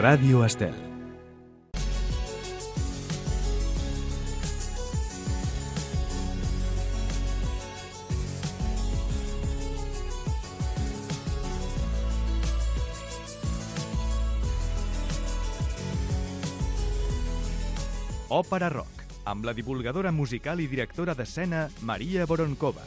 Ràdio Estel. Òpera Rock, amb la divulgadora musical i directora d'escena Maria Voronkova.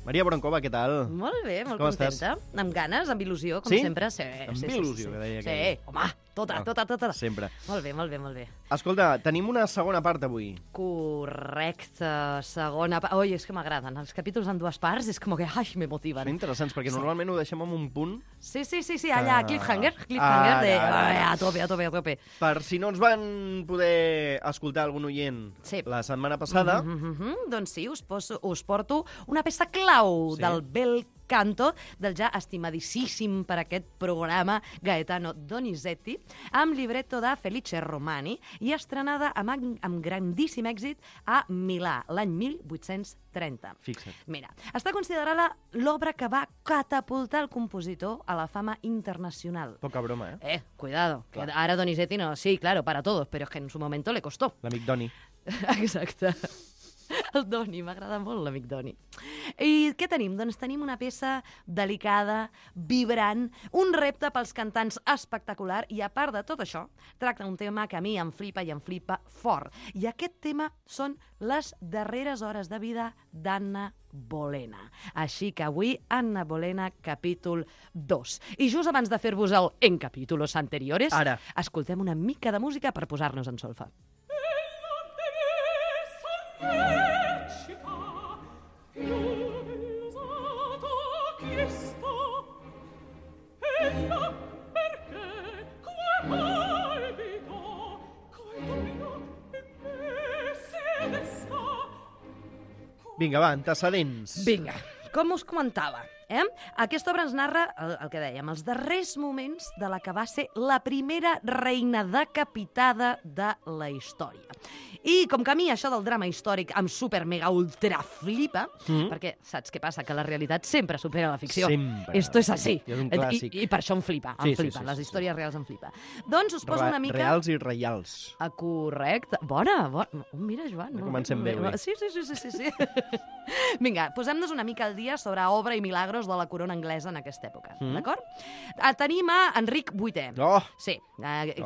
Maria Voronkova, què tal? Molt bé, molt Com contenta. estàs? Amb ganes, amb il·lusió, com Sí? sempre. Sí, Amb sí, il·lusió, sí, que deia sí. aquell. Sí, home, tota. Sempre. Molt bé, molt bé, molt bé. Escolta, tenim una segona part avui. Correcte, segona part. Oi, és que m'agraden. Els capítols en dues parts és com que, ai, me Són motiven. interessants, perquè normalment ho deixem en un punt. Sí, allà, Ah. cliffhanger de... Ara. Ai, a tope. Per si no ens van poder escoltar algun oient Sí. la setmana passada, Doncs sí, us porto una peça clau Sí. del bel canto del ja estimadíssim per aquest programa Gaetano Donizetti, amb libretto de Felice Romani i estrenada amb grandíssim èxit a Milà, l'any 1830. fixa't. Mira, està considerada l'obra que va catapultar el compositor a la fama internacional. Poca broma, eh? Cuidado, que Clar. ahora Donizetti no, sí, claro, para todos, pero es que en su momento le costó. L'amic Doni. Exacte. El Doni, m'agrada molt l'amic Doni. I què tenim? Doncs tenim una peça delicada, vibrant, un repte pels cantants espectacular i, a part de tot això, tracta un tema que a mi em flipa i em flipa fort. I aquest tema són les darreres hores de vida d'Anna Bolena. Així que avui, Anna Bolena, capítol 2. I just abans de fer-vos el en capítulos anteriores, Ara. escoltem una mica de música per posar-nos en solfa. Vinga, va, antecedents. Vinga, com us comentava, aquesta obra ens narra el que dèiem, els darrers moments de la que va ser la primera reina decapitada de la història. I com que a mi això del drama històric em super mega ultra flipa, perquè saps què passa? Que la realitat sempre supera la ficció. Sempre. Esto és així. És un clàssic. I per això em flipa, Sí, les històries reals em flipa. Doncs us poso una mica... Reals i reials. Correcte. Bona. Mira, Joan. Ja comencem bé, avui. Sí. Vinga, posem-nos una mica al dia sobre obra i milagros de la corona anglesa en aquesta època, d'acord? Tenim a Enric VIII. Oh! Sí,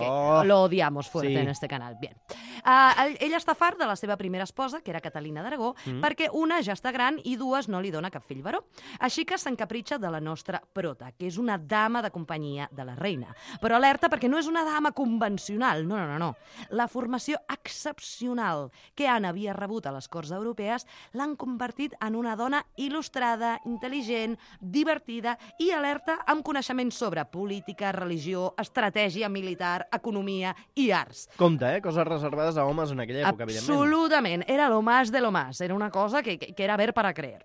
Oh! lo odiamos fuerte Sí. en este canal. Bien. Ell està fart de la seva primera esposa, que era Catalina d'Aragó, perquè una ja està gran i dues no li dona cap fill varó. Així que s'encapritxa de la nostra prota, que és una dama de companyia de la reina. Però alerta, perquè no és una dama convencional, no. La formació excepcional que Anna havia rebut a les corts europees l'han convertit en una dona il·lustrada, intel·ligent, divertida i alerta amb coneixements sobre política, religió, estratègia militar, economia i arts. Compte, coses reservades a homes en aquella època, evidentment. Absolutament, era lo más de lo más, era una cosa que era ver para creer.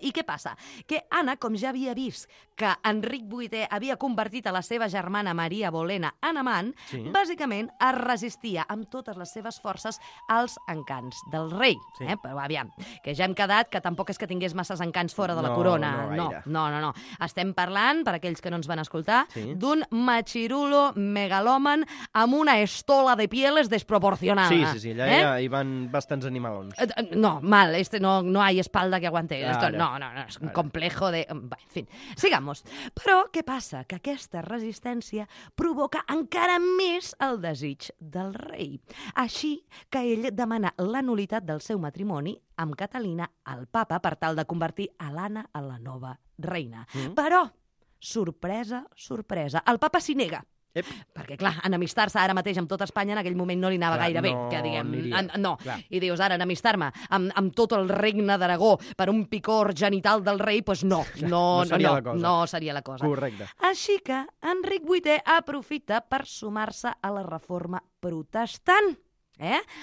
I què passa? Que Anna, com ja havia vist que Enric VIII havia convertit a la seva germana Maria Bolena en amant, bàsicament es resistia amb totes les seves forces als encants del rei. Sí. Però aviam, que ja hem quedat que tampoc és que tingués masses encants fora de la No, corona. no gaire. No. Estem parlant, per aquells que no ens van escoltar, Sí. d'un machirulo megalòman amb una estola de pieles desproporcionada. Sí, allà ja hi van bastants animalons. No, mal, no hay espalda que aguante. Claro. Esto, no, es un complejo de... En fin, sigamos. Però què passa? Que aquesta resistència provoca encara més el desig del rei. Així que ell demana la nul·litat del seu matrimoni amb Catalina al papa per tal de convertir a l'Anna en la nova reina. Però, sorpresa, el papa s'hi nega. Ep. Perquè, clar, enemistar-se ara mateix amb tot Espanya en aquell moment no li anava Clar, gaire bé, no que diguem. aniria. No. Clar. I dius, ara, enemistar-me amb tot el regne d'Aragó per un picor genital del rei, doncs no seria la cosa. no seria la cosa. Correcte. Així que Enric VIII aprofita per sumar-se a la reforma protestant.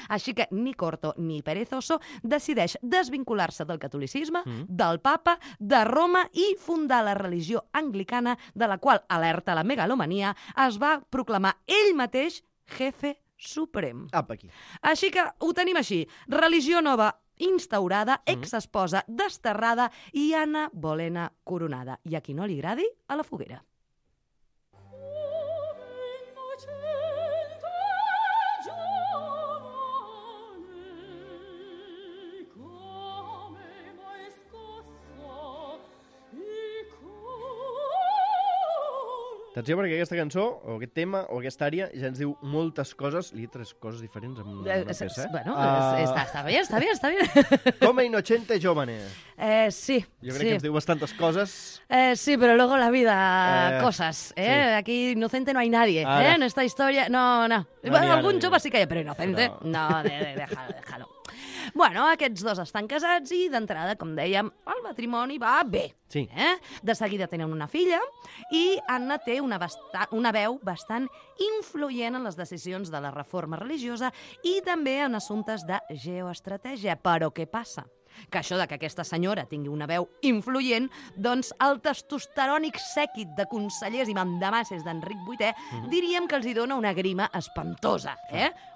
Així que ni corto ni perezoso decideix desvincular-se del catolicisme, del papa, de Roma i fundar la religió anglicana, de la qual, alerta la megalomania, es va proclamar ell mateix jefe suprem. Apa, aquí. Així que ho tenim així. Religió nova instaurada, exesposa desterrada i Anna Bolena coronada. I a qui no li agradi, a la foguera. Atenció, perquè aquesta cançó, o aquest tema, o aquesta àrea, ja ens diu moltes coses. Li he tres coses diferents amb una peça, eh? Bueno, està bé. Come innocente giovane. Sí. Jo crec que ens diu bastantes coses. Sí, pero luego la vida, cosas. Sí. Aquí inocente no hay nadie. En esta historia, no. Bueno, algun jove sí que hi ha, però inocente, no, déjalo. Bueno, aquests dos estan casats i, d'entrada, com dèiem, el matrimoni va bé. Sí. De seguida tenen una filla i Anna té una veu bastant influent en les decisions de la reforma religiosa i també en assumptes de geoestratègia. Però què passa? Que això de que aquesta senyora tingui una veu influent, doncs el testosterònic sèquit de consellers i mandamasses d'Enric VIII diríem que els hi dona una grima espantosa.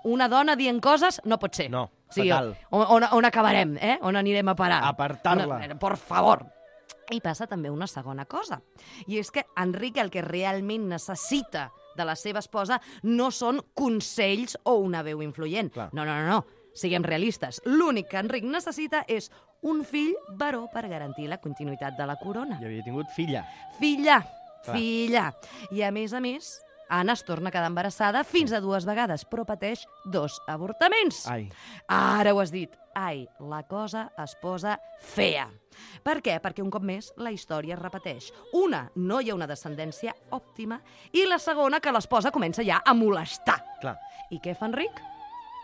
Una dona dient coses no pot ser. No, sí, fatal. On acabarem? On anirem a parar? Apartar-la. Por favor. I passa també una segona cosa, i és que Enric el que realment necessita de la seva esposa no són consells o una veu influent. Clar. No. Siguem realistes. L'únic que Enric necessita és un fill varó per garantir la continuïtat de la corona. I havia tingut filla. Filla. I a més, Anna es torna a quedar embarassada fins a 2 vegades, però pateix 2 avortaments. Ai. Ara ho has dit. Ai, la cosa es posa fea. Per què? Perquè un cop més la història es repeteix. Una, no hi ha una descendència òptima, i la segona, que l'esposa comença ja a molestar. Clar. I què fa Enric?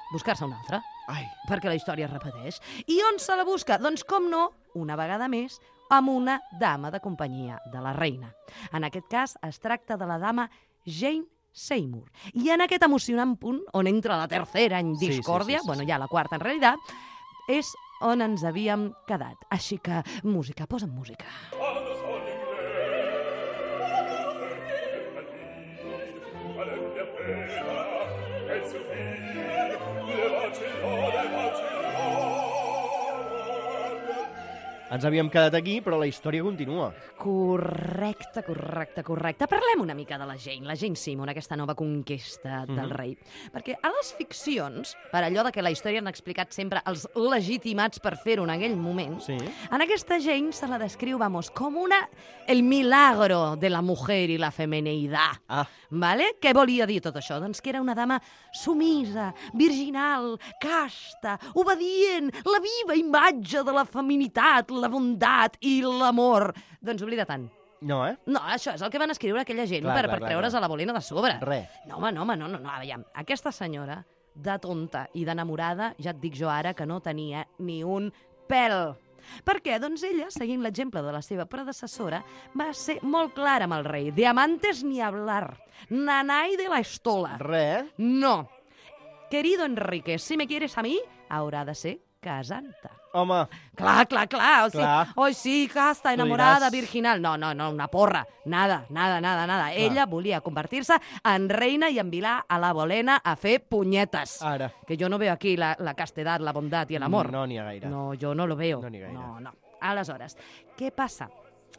Buscar-se una altra. Ai. Perquè la història es repeteix. I on se la busca? Doncs, com no, una vegada més, amb una dama de companyia de la reina. En aquest cas, es tracta de la dama Jane Seymour. I en aquest emocionant punt, on entra la tercera en discòrdia, bueno, ja la quarta en realitat, és on ens havíem quedat. Així que, música, posa'm música. Ens havíem quedat aquí, però la història continua. Correcte. Parlem una mica de la Jane Seymour, aquesta nova conquesta del rei. Perquè a les ficcions, per allò de que la història han explicat sempre els legitimats per fer-ho en aquell moment, en aquesta Jane se la descriu, com el milagro de la mujer i la femeneïtat. Vale? Què volia dir tot això? Doncs que era una dama sumisa, virginal, casta, obedient, la viva imatge de la feminitat, la bondat i l'amor. Doncs oblida tant. No, No, això és el que van escriure aquella gent per treure's a la Bolena de sobre. No, home, no. Aviam, aquesta senyora, de tonta i d'enamorada, ja et dic jo ara que no tenia ni un pèl. Per què? Doncs ella, seguint l'exemple de la seva predecessora, va ser molt clara amb el rei. De amantes ni hablar. Nanay de la estola. No. Querido Enrique, si me quieres a mi, haurà de ser casanta. Home. Clar. O sí, casta, enamorada, virginal. No, una porra. Nada. Ella volia convertir-se en reina i envilar a la Bolena a fer punyetes. Ara. Que jo no veo aquí la castedad, la bondat i l'amor. No n'hi ha gaire. No, jo no lo veo. No n'hi ha gaire. No. Aleshores, què passa?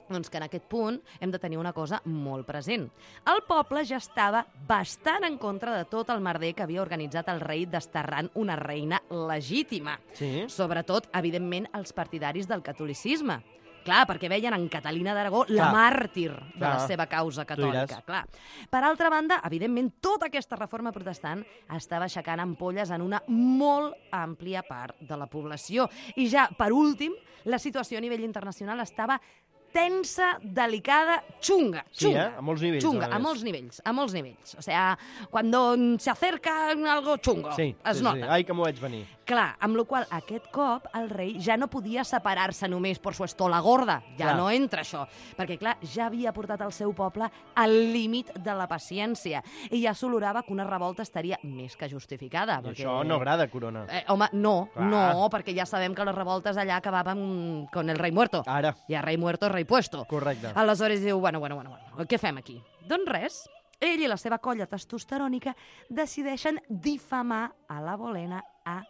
Doncs que en aquest punt hem de tenir una cosa molt present. El poble ja estava bastant en contra de tot el merder que havia organitzat el rei desterrant una reina legítima. Sí. Sobretot, evidentment, els partidaris del catolicisme. Clar, perquè veien en Catalina d'Aragó la màrtir de la seva causa catòlica. Clar. Per altra banda, evidentment, tota aquesta reforma protestant estava aixecant ampolles en una molt àmplia part de la població. I ja, per últim, la situació a nivell internacional estava tensa, delicada, chunga. Sí, a molts nivells. Chunga, a molts nivells. O sea, cuando se acerca algo chungo, es nota. Ai, que m'ho vaig venir. Clar, amb la qual aquest cop el rei ja no podia separar-se només per su estola gorda. Ja no entra això. Perquè, clar, ja havia portat el seu poble al límit de la paciència i ja s'olorava que una revolta estaria més que justificada. I això no agrada, Corona. Home, no, perquè ja sabem que les revoltes allà acabaven con el rei muerto. Ara. I el rei muerto, rei puesto. Correcte. Aleshores diu, bueno, què fem aquí? Doncs res, ell i la seva colla testosterònica decideixen difamar a la Bolena a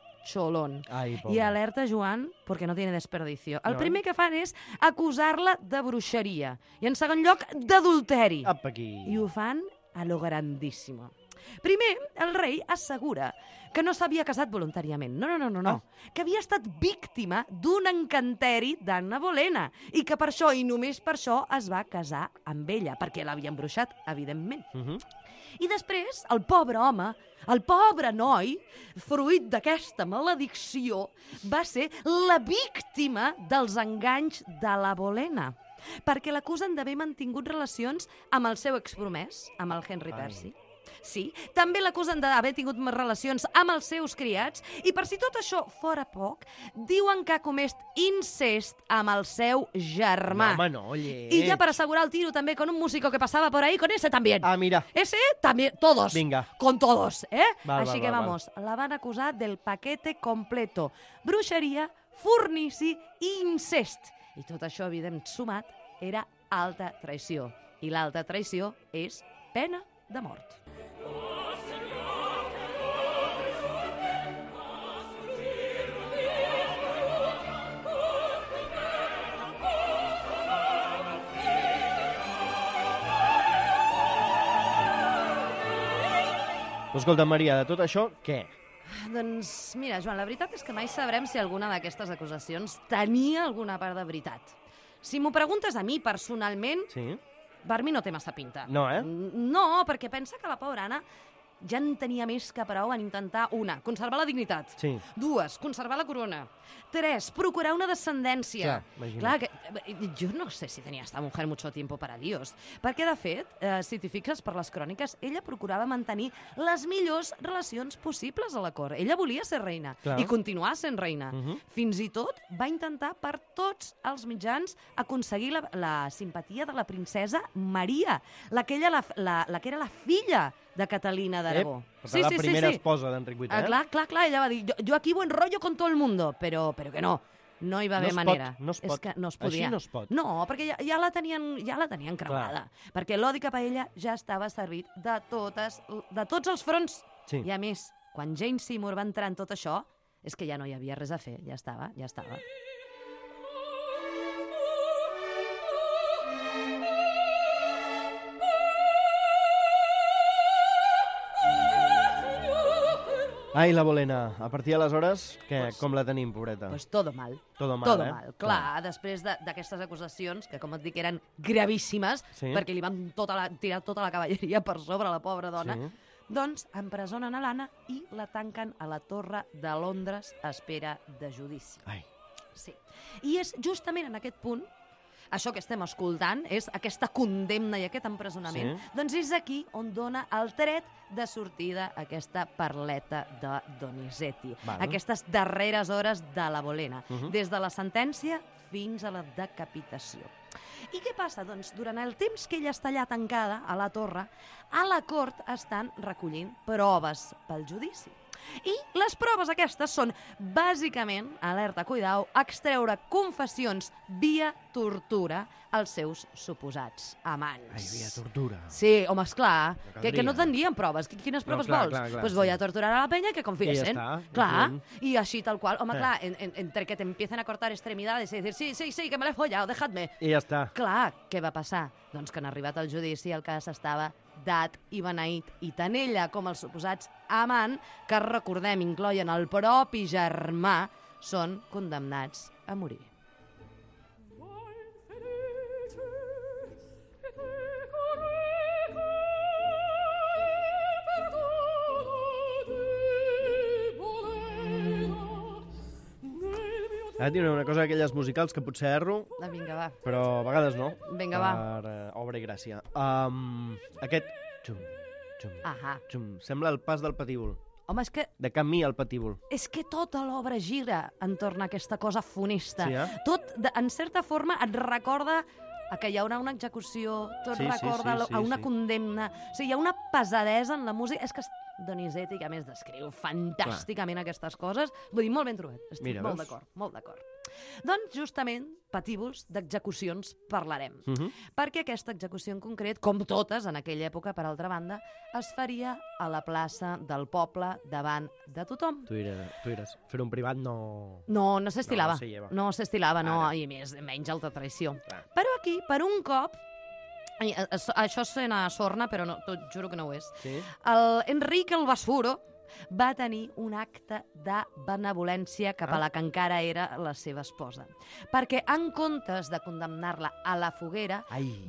Ai, pobre. I alerta Joan, perquè no tiene desperdicio. El No. primer que fan és acusar-la de bruixeria. I en segon lloc, d'adulteri. Apa aquí. I ho fan a lo grandíssimo. Primer, el rei assegura que no s'havia casat voluntàriament. No. Que havia estat víctima d'un encanteri d'Anna Bolena i que per això, i només per això, es va casar amb ella, perquè l'havia embruixat, evidentment. I després, el pobre home, el pobre noi, fruit d'aquesta maledicció, va ser la víctima dels enganys de la Bolena, perquè l'acusen d'haver mantingut relacions amb el seu expromès, amb el Henry Percy. Sí, també l'acusen d'haver tingut relacions amb els seus criats i per si tot això fora poc, diuen que ha comès incest amb el seu germà. No, home, no, lleig. Y ya para asegurar el tiro también con un músico que pasaba por ahí, con ese también. Ah, mira. Ese también, todos. Vinga. Con todos, ¿eh? Val, Així val, que val, vamos, la van acusar del paquete completo. Bruixeria, fornici i incest. I tot això, evident, sumat, era alta traïció. I l'alta traïció és pena de mort. Escolta, Maria, de tot això, què? Doncs mira, Joan, la veritat és que mai sabrem si alguna d'aquestes acusacions tenia alguna part de veritat. Si m'ho preguntes a mi personalment, Sí? per mi no té massa pinta. No, eh? No, perquè pensa que la pobra Anna ja en tenia més que prou en intentar, una, conservar la dignitat. Sí. Dues, conservar la corona. Tres, procurar una descendència. Clar, imagina't. Clar, que, jo no sé si tenia esta mujer mucho tiempo para líos. Perquè, de fet, si t'hi fixes per les cròniques, ella procurava mantenir les millors relacions possibles a la cort. Ella volia ser reina Clar. i continuar sent reina. Fins i tot va intentar per tots els mitjans aconseguir la simpatia de la princesa Maria, la que era la filla de Catalina d'Aragó. Per tant, la primera esposa d'Enric VIII, eh? Clar, ella va dir, yo aquí buen rollo con todo el mundo, pero que no. No hi va haver manera. No es pot. És que no es podia. Així no es pot. No, perquè ja la tenien cremada. Perquè l'odi cap a ella ja estava servit de tots els fronts. Sí. I a més, quan Jane Seymour va entrar en tot això, és que ja no hi havia res a fer. Ja estava. Ai, la Bolena. A partir d'aleshores, com la tenim, pobreta? Pues todo mal. Todo mal, Todo eh? mal. Clar, després d'aquestes acusacions, que com et dic eren gravíssimes, Sí. perquè li van tirar tota la cavalleria per sobre la pobra dona, Sí. doncs empresonen a l'Anna i la tanquen a la Torre de Londres a espera de judici. Ai. Sí. I és justament en aquest punt, això que estem escoltant, és aquesta condemna i aquest empresonament, Sí. doncs és aquí on dona el tret de sortida aquesta parleta de Donizetti. Val. Aquestes darreres hores de la Bolena, Mhm. des de la sentència fins a la decapitació. I què passa? Doncs durant el temps que ella està allà tancada a la torre, a la cort estan recollint proves pel judici. I les proves aquestes són, bàsicament, alerta, cuidao, extreure confessions via tortura als seus suposats amants. Ai, via tortura. Sí, home, esclar, No que no caldria. tendrien proves. Quines proves clar, vols? clar, Pues sí. voy a torturar a la peña que confiesen. I ja està, Clar, i punt. y así tal cual. Home, Eh. clar, entre que te empiecen a cortar extremidades y decir, sí, que me l'he follado, dejadme. I ja està. Clar, què va passar? Doncs que en arribat al judici el cas estava dat i beneït, i tant ella com els suposats amant, que recordem incloïen el propi germà, són condemnats a morir. Ara tinc una cosa d'aquelles musicals que potser erro, Vinga, va. però a vegades no. Vinga, va. Per obra i gràcia. Aquest... Xum, xum, Ahà. xum. Sembla el pas del patíbul. Home, De camí al patíbul. és que tota l'obra gira entorn a aquesta cosa funesta. Sí, eh? Tot, en certa forma, et recorda a que hi haurà una execució, tot Sí, sí, recorda sí, a una sí. condemna. O sigui, hi ha una pesadesa en la música. És que Donizetti, que a més descriu fantàsticament aquestes coses. Vull dir, molt ben trobat. Estic molt d'acord, molt d'acord. Doncs, justament, patívols d'execucions parlarem. Perquè aquesta execució en concret, com totes en aquella època, per altra banda, es faria a la plaça del poble davant de tothom. Tu diràs, fer un privat no... No s'estilava. No se lleva. No s'estilava, no, i menys alta traïció. Clar. Però aquí, per un cop, això sona sorna, però no, t'ho juro que no ho és. Sí? Enric el Basuro va tenir un acte de benevolència cap a la que encara era la seva esposa. Perquè, en comptes de condemnar-la a la foguera,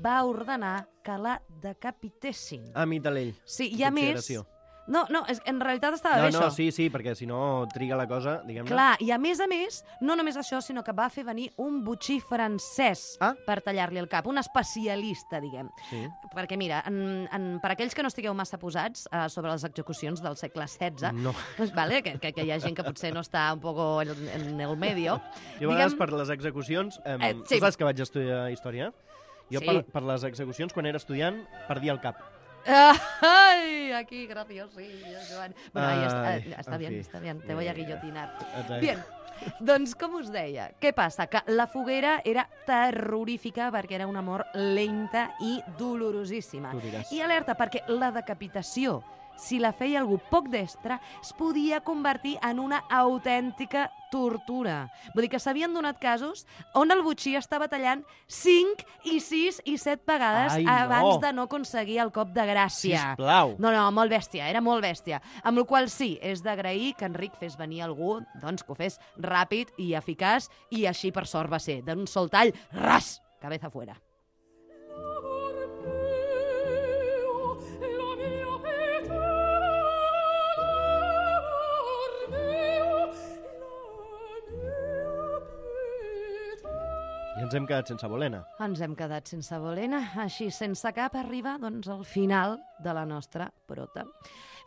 va ordenar que la decapitessin. Amic de l'ell. Sí, i a més... No, en realitat estava bé això. No, sí, perquè si no triga la cosa, diguem-ne. Clar, i a més, no només això, sinó que va fer venir un botxí francès per tallar-li el cap, un especialista, diguem. Sí. Perquè, mira, per aquells que no estigueu massa posats sobre les execucions del segle XVI, vale, que hi ha gent que potser no està un poco en el medio... Jo a vegades per les execucions... Tu saps que vaig estudiar història? Jo per les execucions, quan era estudiant, perdia el cap. ¡Ay! Aquí, graciosillo, Joan. Bueno, ahí está bien, te voy a guillotinar. Bien, doncs, com us deia, què passa? Que la foguera era terrorífica perquè era una mort lenta i dolorosíssima. I alerta, perquè la decapitació, si la feia algú poc destre, es podia convertir en una autèntica tortura. Vull dir que s'havien donat casos on el botxí estava tallant 5 i 6 i 7 vegades abans de no aconseguir el cop de gràcia. Sisplau. No, molt bèstia, era molt bèstia. Amb la qual sí, és d'agrair que Enric fes venir algú, doncs que ho fes ràpid i eficaç, i així per sort va ser. D'un sol tall, ras, cabeza fuera. I ens hem quedat sense Bolena. Ens hem quedat sense Bolena. Així, sense cap, arriba doncs, al final de la nostra prota.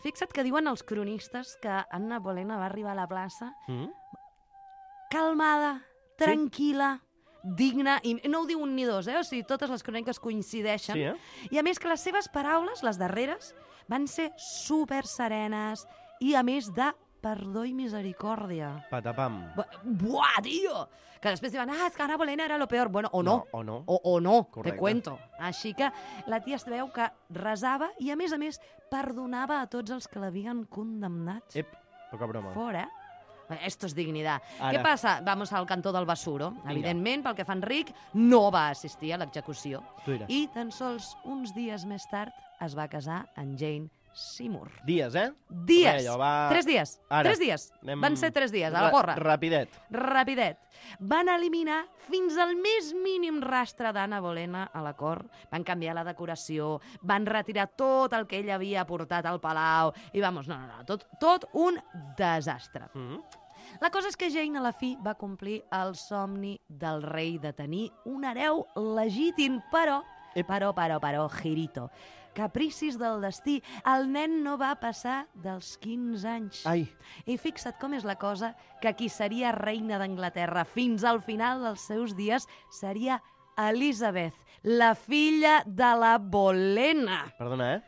Fixa't que diuen els cronistes que Anna Bolena va arribar a la plaça calmada, tranquil·la, digna, i no ho diu un ni dos, o sigui, totes les cròniques coincideixen. Sí, I a més que les seves paraules, les darreres, van ser super serenes i a més de perdó i misericòrdia. Patapam. Buah, tio! Que després diuen, és que Anna Bolena era lo peor. Bueno, o no. O no, te cuento. Així que la tia es veu que resava i, a més, perdonava a tots els que l'havien condemnat. Poca broma. Fora. Esto es dignidad. Què passa? Vamos al cantó del Basuro. Evidentment, pel que fa Enric, no va assistir a l'execució. I tan sols uns dies més tard es va casar amb Jane Seymour. Dies, Dies. 3 dies. 3 dies. Van ser 3 dies, a la porra. Rapidet. Van eliminar fins al més mínim rastre d'Anna Bolena a la cort. Van canviar la decoració, van retirar tot el que ell havia portat al palau. I vamos, tot un desastre. La cosa és que Jane, a la fi, va complir el somni del rei de tenir un hereu legítim, però, girito. Capricis del destí. El nen no va passar dels 15 anys. I fixa't com és la cosa, que qui seria reina d'Anglaterra fins al final dels seus dies seria Elizabeth, la filla de la Bolena. Perdona,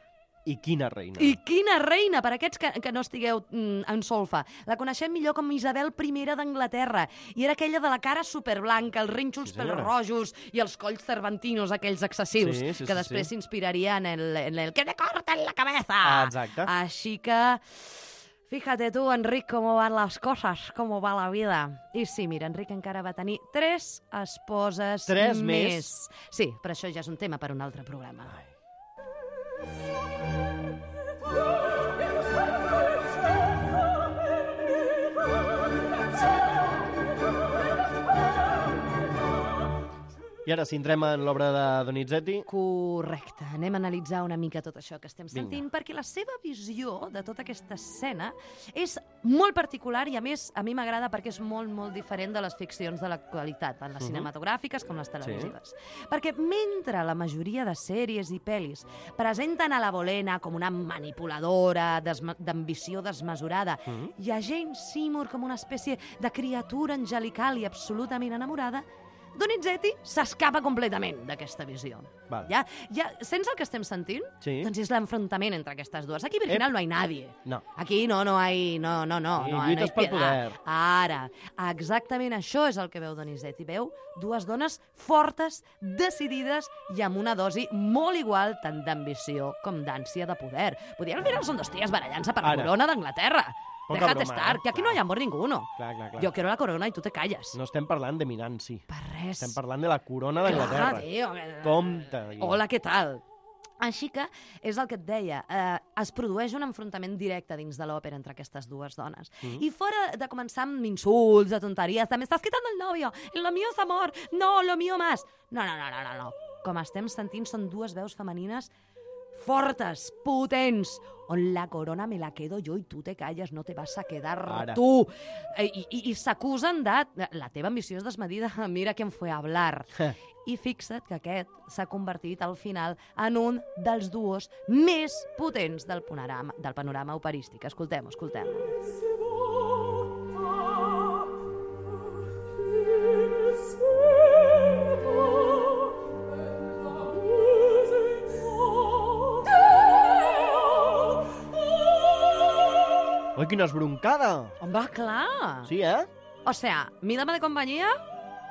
I quina reina? I quina reina, per aquests que no estigueu en solfa. La coneixem millor com Isabel I d'Anglaterra. I era aquella de la cara superblanca, els rínxols pels rojos i els colls cervantinos, aquells excessius, que després s'inspiraria en el que me corten la cabeza. Exacte. Així que... Fíjate tú, Enric, cómo van las cosas, cómo va la vida. I sí, mira, Enric encara va tenir 3 esposes 3 més? Sí, però això ja és un tema per un altre programa. I ara, si entrem en l'obra de Donizetti... Correcte. Anem a analitzar una mica tot això que estem sentint, perquè la seva visió de tota aquesta escena és molt particular i, a més, a mi m'agrada perquè és molt, molt diferent de les ficcions de l'actualitat, tant les cinematogràfiques com les televisives. Perquè mentre la majoria de sèries i pel·lis presenten a la Bolena com una manipuladora, d'ambició desmesurada, i a Jane Seymour com una espècie de criatura angelical i absolutament enamorada, Donizetti s'escapa completament d'aquesta visió. Val. Ja, sents el que estem sentint? Sí. Doncs és l'enfrontament entre aquestes dues. Aquí, Virginal, no hay nadie. No. Aquí no hay... No lluites pel poder. Ara, exactament això és el que veu Donizetti. Veu dues dones fortes, decidides i amb una dosi molt igual tant d'ambició com d'ànsia de poder. Al final són dos ties barallant-se per la corona d'Anglaterra. Poca Déjate broma, estar, que aquí no hay amor ninguno. Clar. Yo quiero la corona y tú te calles. No estem parlant de Minanci. Per res. Estem parlant de la corona d'Anglaterra. Clar, tio. Compte. Hola, què tal? Així que és el que et deia, es produeix un enfrontament directe dins de l'òpera entre aquestes dues dones. I fora de començar amb insults, de tonteries, de m'estàs quitando el novio, lo mío es amor, no, lo mío más. No. Com estem sentint, són dues veus femenines fortes, potents, on la corona me la quedo yo y tú te calles, no te vas a quedar tú. I s'acusen de... La teva ambició és desmedida, mira quién fue a hablar. I fixa't que aquest s'ha convertit al final en un dels duos més potents del panorama operístic. Escoltem. Oi, quina esbroncada! Home, clar. Sí, eh? O sea, mi dama de compañía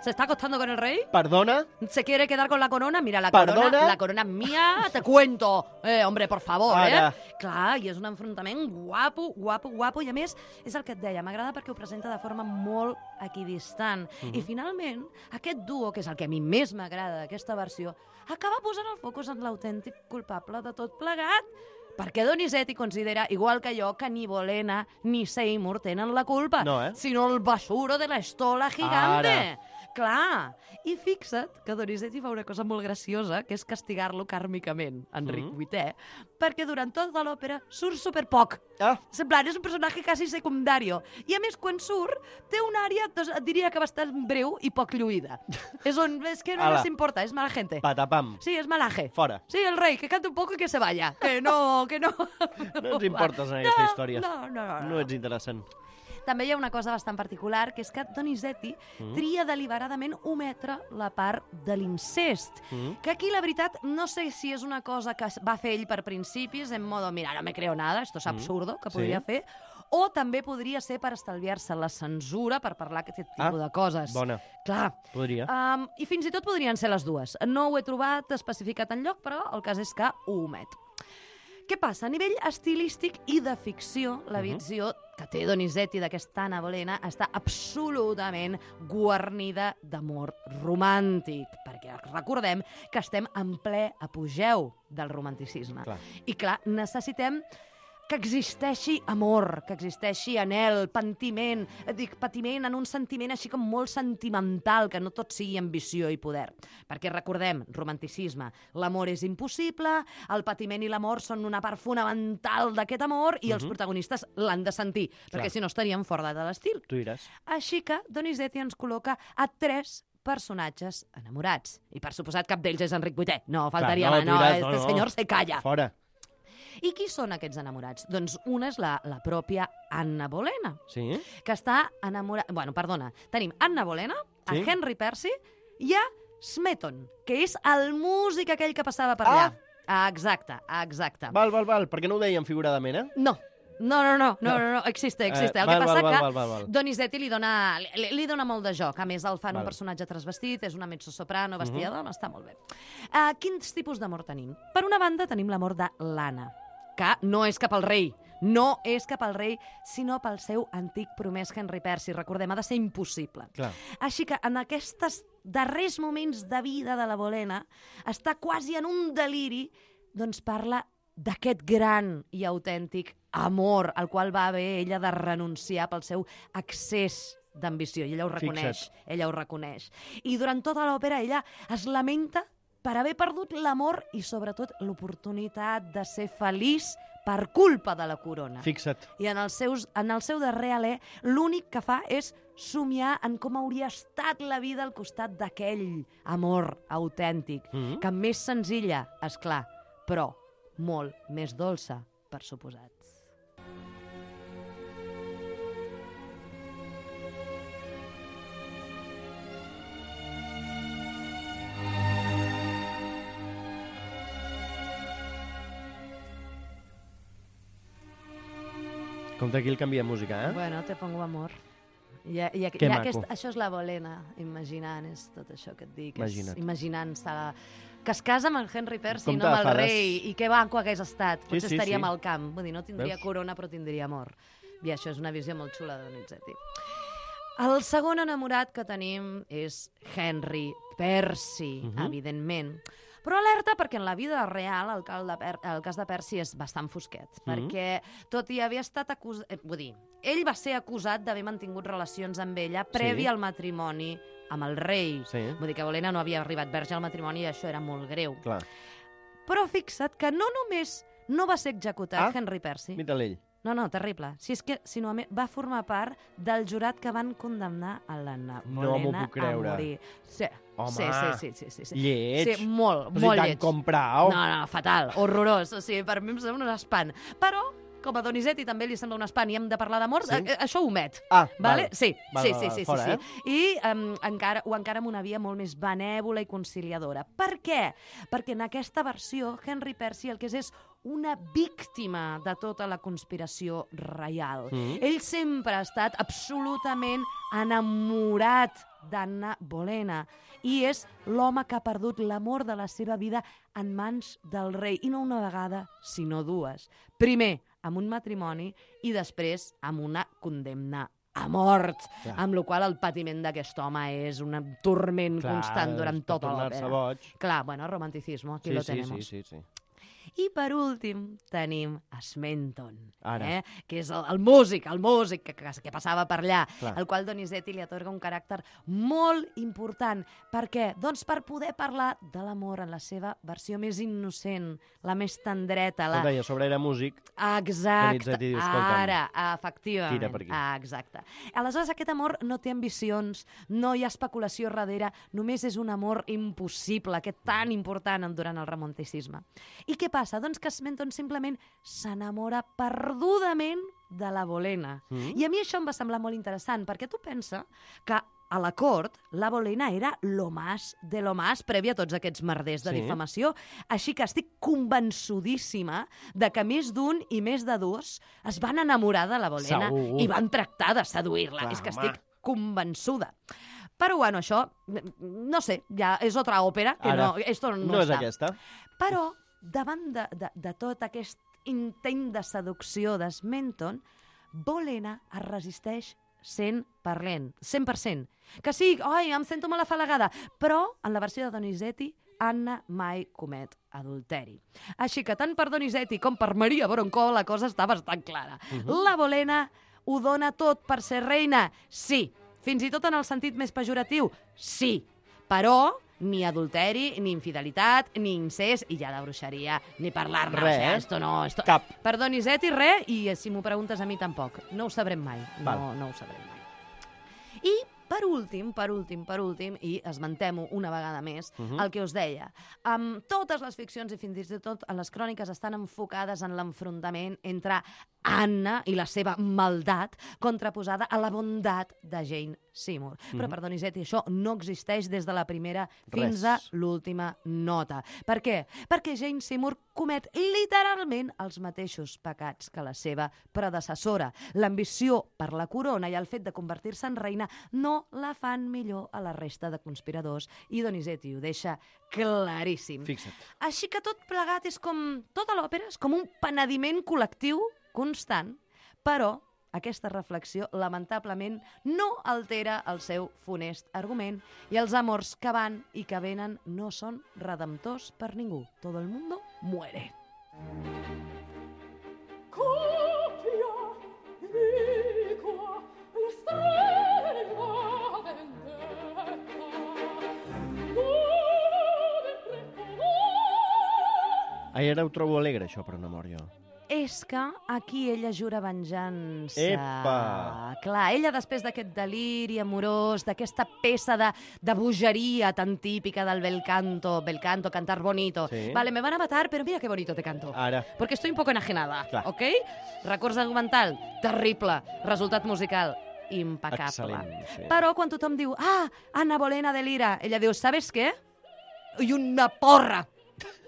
se está acostando con el rey. Perdona? Se quiere quedar con la corona. Mira, la corona es mía, te cuento. Hombre, por favor, Clar, i és un enfrontament guapo, i a més, és el que et deia, m'agrada perquè ho presenta de forma molt equidistant. I finalment, aquest duo, que és el que a mi més m'agrada d'aquesta versió, acaba posant el focus en l'autèntic culpable de tot plegat. Perquè Donizetti considera, igual que jo, que ni Bolena ni Seymour tenen la culpa, sinó el basuro de la estola gigante. Clar. I fixa't que Donizetti fa una cosa molt graciosa, que és castigar-lo kàrmicament, Enric VIII, perquè durant tota l'òpera surt superpoc. Semblant, és un personatge quasi secundari. I a més, quan surt, té una àrea, et diria que bastant breu i poc lluïda. És que no les importa, és mala gente. Patapam. Sí, és malaje. Fora. Sí, el rei, que canta un poco y que se vaya. Que no. No ens importes en aquesta història. No ets interessant. També hi ha una cosa bastant particular, que és que Donizetti tria deliberadament ometre la part de l'incest. Que aquí, la veritat, no sé si és una cosa que va fer ell per principis, en modo, mira, no me creo nada, esto es absurdo, que podria fer, o també podria ser per estalviar-se la censura, per parlar aquest tipus de coses. Bona. Clar. Podria. I fins i tot podrien ser les dues. No ho he trobat especificat enlloc, però el cas és que ho omet. Què passa? A nivell estilístic i de ficció, la visió que té Donizetti d'aquesta Anna Bolena està absolutament guarnida d'amor romàntic, perquè recordem que estem en ple apogeu del romanticisme. I clar, necessitem que existeixi amor, que existeixi anhel, patiment en un sentiment així com molt sentimental, que no tot sigui ambició i poder. Perquè recordem, romanticisme, l'amor és impossible, el patiment i l'amor són una part fonamental d'aquest amor i els protagonistes l'han de sentir, perquè si no estaríem fora de l'estil. Tu diràs. Així que Donizetti ens col·loca a 3 personatges enamorats. I per suposat cap d'ells és Enric VIII. No, faltaria més. No, este senyor se calla. Fora. I qui són aquests enamorats? Doncs una és la pròpia Anna Bolena, que està enamorada... Bueno, perdona, tenim Anna Bolena, a Henry Percy i a Smeton, que és el músic aquell que passava per allà. Exacte. Val. Per què no ho dèiem figuradament, No, existe. El que passa que Donizetti li dona molt de joc. A més, el fan un personatge transvestit, és una mezzosoprano vestida de dona, està molt bé. Quins tipus d'amor tenim? Per una banda, tenim l'amor de l'Anna, que no és cap al rei, sinó pel seu antic promès Henry Percy. Recordem, ha de ser impossible. Així que en aquests darrers moments de vida de la Bolena està quasi en un deliri, doncs parla d'aquest gran i autèntic amor al qual va haver ella de renunciar pel seu excés d'ambició. I ella ho reconeix. I durant tota l'òpera ella es lamenta per haver perdut l'amor i, sobretot, l'oportunitat de ser feliç per culpa de la corona. Fixa't. I en el seu darrer alè, l'únic que fa és somiar en com hauria estat la vida al costat d'aquell amor autèntic, que més senzilla, esclar, però molt més dolça, per suposat. Compte aquí el canvia de música, Bueno, te pongo amor. Que maco. Això és la Bolena, imaginant, és tot això que et dic. Imagina't. Imaginant-se que es casa amb el Henry Percy, Compte no amb de el fades. rei, i que banco hagués estat. Potser sí, estaríem sí. al camp. Vull dir, no tindria Veus? corona, però tindria amor. I això és una visió molt xula de Donizetti. El segon enamorat que tenim és Henry Percy, evidentment. Però alerta, perquè en la vida real el cas de Percy és bastant fosquet, perquè tot i haver estat acusat... Vull dir, ell va ser acusat d'haver mantingut relacions amb ella previ al matrimoni amb el rei. Sí. Vull dir que Bolena no havia arribat verge al matrimoni i això era molt greu. Clar. Però fixa't que no només no va ser executat Henry Percy. Mira'l ell. No, terrible. Si és que, sinó, va formar part del jurat que van condemnar a la No m'ho Bolena puc creure. a morir. Sí. Home, sí. lleig. Sí, molt Però si lleig. t'han comprat. No, fatal, horrorós. O sigui, per mi em sembla un espant. Però, com a Donizetti també li sembla un espant i hem de parlar d'amor, això ho omet. Vale? Sí, fora, I encara amb una via molt més benèvola i conciliadora. Per què? Perquè en aquesta versió, Henry Percy el que és una víctima de tota la conspiració reial. Ell sempre ha estat absolutament enamorat d'Anna Bolena i és l'home que ha perdut l'amor de la seva vida en mans del rei. I no una vegada, sinó dues. Primer, amb un matrimoni i després amb una condemna a mort, amb la qual el patiment d'aquest home és un torment constant durant tota l'òpera. Clar, bueno, romanticismo, aquí lo tenemos. Sí. I per últim tenim Smenton, que és el músic que passava per allà, al qual Donizetti li atorga un caràcter molt important. Per què? Doncs per poder parlar de l'amor en la seva versió més innocent, la més tendreta. Com deia, sobre era músic. Exacte, ara, efectivament. Tira per aquí. Exacte. Aleshores, aquest amor no té ambicions, no hi ha especulació darrere, només és un amor impossible, aquest tan important durant el romanticisme. I què passa? Doncs que Smenton simplement s'enamora perdudament de la Bolena. I a mi això em va semblar molt interessant, perquè tu pensa que a la cort la Bolena era lo más de lo más previ a tots aquests merders de difamació. Així que estic convençudíssima de que més d'un i més de dos es van enamorar de la Bolena i van tractar de seduir-la. És que estic convençuda. Però, bueno, això, no sé, ja és otra òpera, que no és aquesta. Però, davant de tot aquest intent de seducció d'Smenton, Bolena es resisteix 100%. Que sí, em sento molt afalagada, però en la versió de Donizetti, Anna mai comet adulteri. Així que tant per Donizetti com per Maria Voronkova la cosa està bastant clara. La Bolena ho dona tot per ser reina? Sí. Fins i tot en el sentit més pejoratiu? Sí. Però ni adulteri, ni infidelitat, ni incest, i ja de bruixeria, ni parlar-ne. Res, cap. Per Donizetti, res, i si m'ho preguntes a mi tampoc. No ho sabrem mai. No ho sabrem mai. I per últim, i esmentem-ho una vegada més, el que us deia, totes les ficcions i fins i tot les cròniques estan enfocades en l'enfrontament entre Anna i la seva maldat contraposada a la bondat de Jane Seymour. Però per Donizetti això no existeix des de la primera fins a l'última nota. Per què? Perquè Jane Seymour comet literalment els mateixos pecats que la seva predecessora. L'ambició per la corona i el fet de convertir-se en reina no la fan millor a la resta de conspiradors, i Donizetti ho deixa claríssim. Fixa't. Així que tot plegat és com... Tota l'òpera és com un penediment col·lectiu constant, però aquesta reflexió, lamentablement, no altera el seu funest argument i els amors que van i que venen no són redemptors per ningú. Todo el mundo muere. Ara ho trobo alegre, això, per un amor, jo. És que aquí ella jura venjança. Epa! Clar, ella després d'aquest deliri amorós, d'aquesta peça de bogeria tan típica del bel canto, cantar bonito. Sí. Vale, me van a matar, pero mira qué bonito te canto. Ara. Porque estoy un poco enajenada, Clar. ¿ok? Recurs argumental, terrible. Resultat musical, impecable. Excel·lent, sí. Però quan tothom diu, Anna Bolena delira, ella diu, ¿sabes qué? I una porra.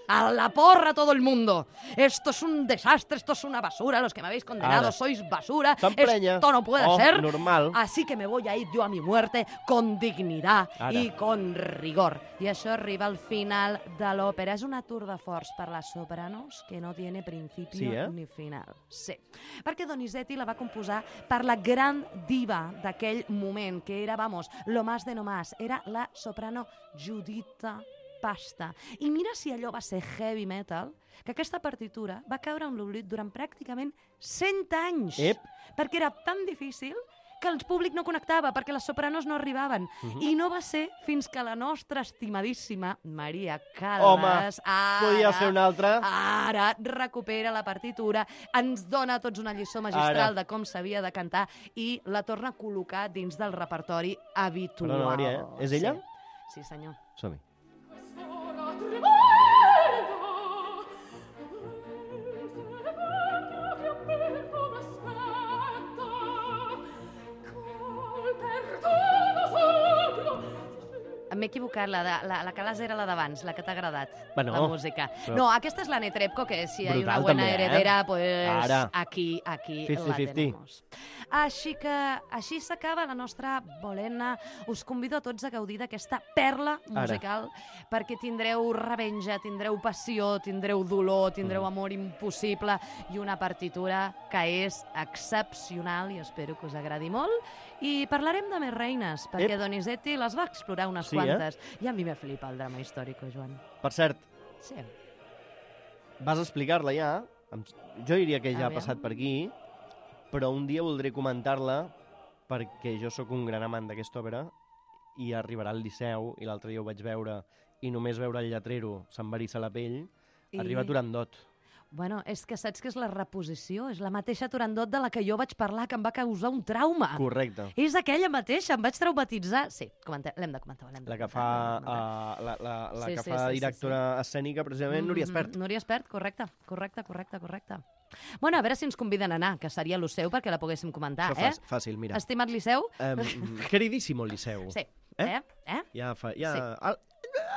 A la porra todo el mundo. Esto es un desastre, esto es una basura. Los que me habéis condenado sois basura. Esto no puede ser. Normal. Así que me voy a ir yo a mi muerte con dignidad i con rigor. I això arriba al final de l'òpera. És una tour de force per les sopranos que no tiene principio ni final. Sí, perquè Donizetti la va composar per la gran diva d'aquell moment, que era, vamos, lo más de no más. Era la soprano Giuditta Pasta. I mira si allò va ser heavy metal, que aquesta partitura va caure en l'oblit durant pràcticament 100 anys. Perquè era tan difícil que el públic no connectava, perquè les sopranos no arribaven. I no va ser fins que la nostra estimadíssima Maria Callas podia ser una altra. Ara recupera la partitura, ens dona a tots una lliçó magistral de com s'havia de cantar i la torna a col·locar dins del repertori habitual. Perdona, Maria, és ella? Sí, senyor. Som-hi. M'he equivocat, la Callas era la d'abans, la que t'ha agradat, la música. Però... No, aquesta és la Netrepko, que si hi ha una buena heredera, pues aquí la tenemos. Així s'acaba la nostra bolena. Us convido a tots a gaudir d'aquesta perla musical, perquè tindreu revenja, tindreu passió, tindreu dolor, tindreu amor impossible i una partitura que és excepcional i espero que us agradi molt. I parlarem de més reines, perquè Donizetti les va explorar unes quantes. I a mi me flipa el drama històric, Joan. Per cert, sí. Vas explicar-la ja. Jo diria que ja ha passat per aquí, però un dia voldré comentar-la perquè jo sóc un gran amant d'aquesta òpera i arribarà al Liceu, i l'altre dia ho vaig veure, i només veure el lletrero se'm va eriçar la pell, arriba Turandot. Bueno, és que saps que és la reposició, és la mateixa Turandot de la que jo vaig parlar, que em va causar un trauma. Correcte. És aquella mateixa, em vaig traumatitzar. Sí, l'hem de comentar. La que fa directora escènica, precisament, Núria Espert. Núria Espert, correcte. Bueno, a veure si ens conviden a anar, que seria lo seu perquè la poguéssim comentar, Fàcil, mira. Estimat Liceu? Queridísimo Liceu. Sí.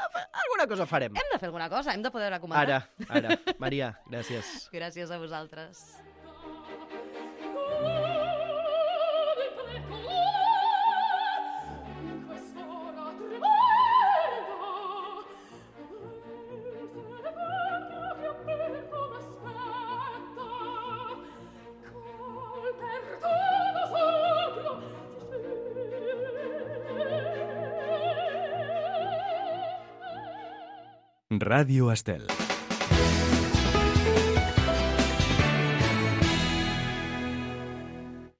Alguna cosa farem. Hem de fer alguna cosa, hem de poder comentar. Ara. Maria, gràcies. Gràcies a vosaltres. Ràdio Estel.